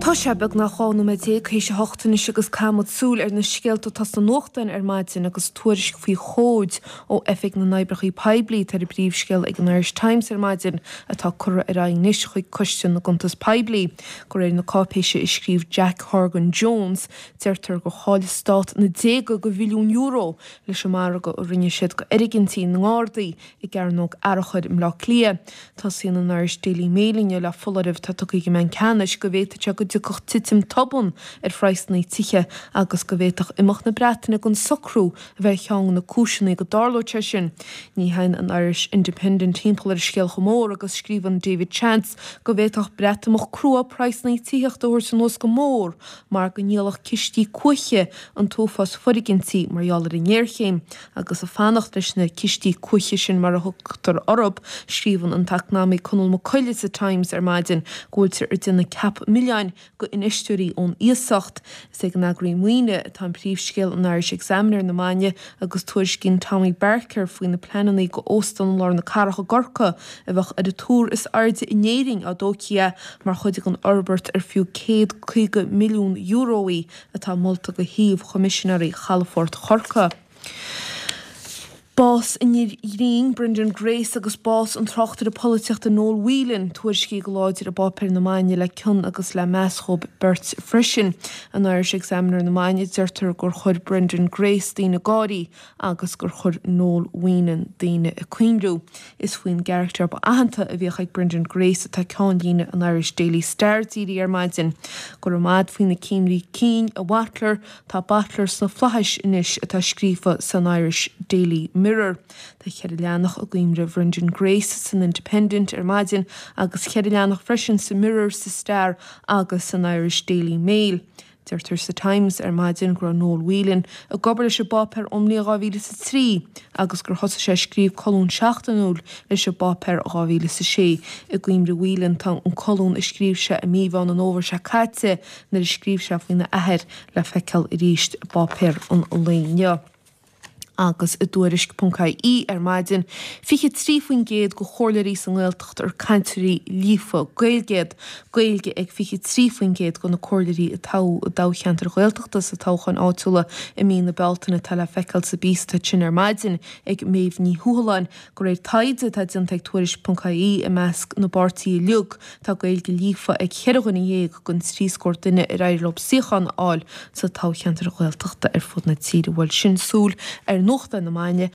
Tá sé beagnach 12 nóiméad théis a hocht anois agus caithfimid súil ar na scéalta atá sna nuachtáin ar maidin agus tuairisc faoi chomhaid ó Oifig na nOibreacha Poiblí atá ar an bpríomhscéal ag an Irish Times ar maidin atá curtha ar aghaidh anois chuig Coiste na gCuntas Poiblí. De réir na cáipéise a scríobh Jack Horgan Jones, deirtear gur chaill an Stát na déaga de mhilliúin euro leis an margadh a rinne siad d'fhoirgintí na nGardaí i gCearnóg Fhearchair i mBleá Cliath. Tosaíonn an Irish Daily Mail inniu le foláireamh atá tugtha ag an mBanc Ceannais go bhféadfadh sé go dtiocfadh titim tobann ar phraghsanna tithe agus go bhféadfadh imeacht na Breataine den socrú a bheith ar cheann de na cúiseanna go dtarlódh sé sin. Ní théann an Irish Independent timpeall ar an scéal chomh mór agus scríobhann David Chance go bhféadfadh Breatimeacht crua praghsanna tithíochta a thabhairt anuas go mór mar go ndíolfadh cistí cuaiche an t-uafás foirgintí mar gheall ar an ngéarchéim. Agus ag fanacht leis na cistí cuaiche sin mar a thugtar orthu, scríobhann an t-eacnamaí Conall Mac Coille sa Times ar maidin go bhfuiltear ag déanamh ceap milleáin d'infheisteoirí ón iasacht. Is ag an eagraí maoine atá an príomhscéal in Irish Examiner na maidine agus tuairiscíonn Tommy Barker faoi na pleananna do óstán i lár na cathrach i gCorcaigh a bheadh ar an túr is airde in Éirinn á dtógfaí é mar chuid den fhorbairt ar fiú €150 milliún í. atá molta do shuíomh Choimisinéirí Chalafort Chorcaí. Bás an fhir ghrinn, Brendan Grace agus bás an tráchtaire polaitíochta Noel Whelan tuairiscithe go láidir i bpáipéir na maidine le cion agus le meas dhóibh beirt freisin. In Irish Examiner na maidine deirtear gur chuir Brendan Grace daoine ag gáirí agus gur chuir Noel Whelan daoine ag cuimhniú. Is faoin gcarachtar ba aitheanta a bhíodh ag Brendan Grace atá ceannlíne an Irish Daily Star dírithe ar maidin. Go raibh maith agat faoi na cuimhní cinn, a Bhutler, tá Butler sna flaithis anois atá scríofa san Irish Daily Mirror. Tá cheithre leathanach i gcuimhne Bhrendan Grace san Independent ar maidin agus cheithre leathanach freisin sa Mirror, sa Star agus san Irish Daily Mail. Deirtear sa Times ar maidin go raibh Noel Whelan ag obair leis an bpáipéar ón mbliain 2003 agus gur thosaigh sé ag scríobh colún seachtainiúil leis an bpáipéar in 2006. I gcuimhne Whelan tá an colún a scríobh sé i mí Mheán an Fhómhair seo caite nuair a scríobh sé faoina athair le feiceáil arís i bpáipéar an lae inniu. Agus i dTuairisc.ie ar maidin, 23% de chomhairleoirí sa nGaeltacht ar cainteoirí líofa Gaeilge iad. Gaeilge ag 23% de na comhairleoirí a toghadh i dtoghcheantair Ghaeltachta sa toghchán áitiúla i mí na Bealtaine atá le feiceáil sa bpíosa atá ansin ar maidin ag Méabh Ní Thuathaláin. De réir taighde atá déanta ag Tuairisc.ie i measc na bpáirtithe uilig, tá Gaeilge líofa ag cheithre dhuine dhéag den trí scór duine ar éirigh leo suíochán a fháil sa toghcheantar Ghaeltachta ar fud na tíre. Bhuel, sin súil ar nuachtáin na maidine.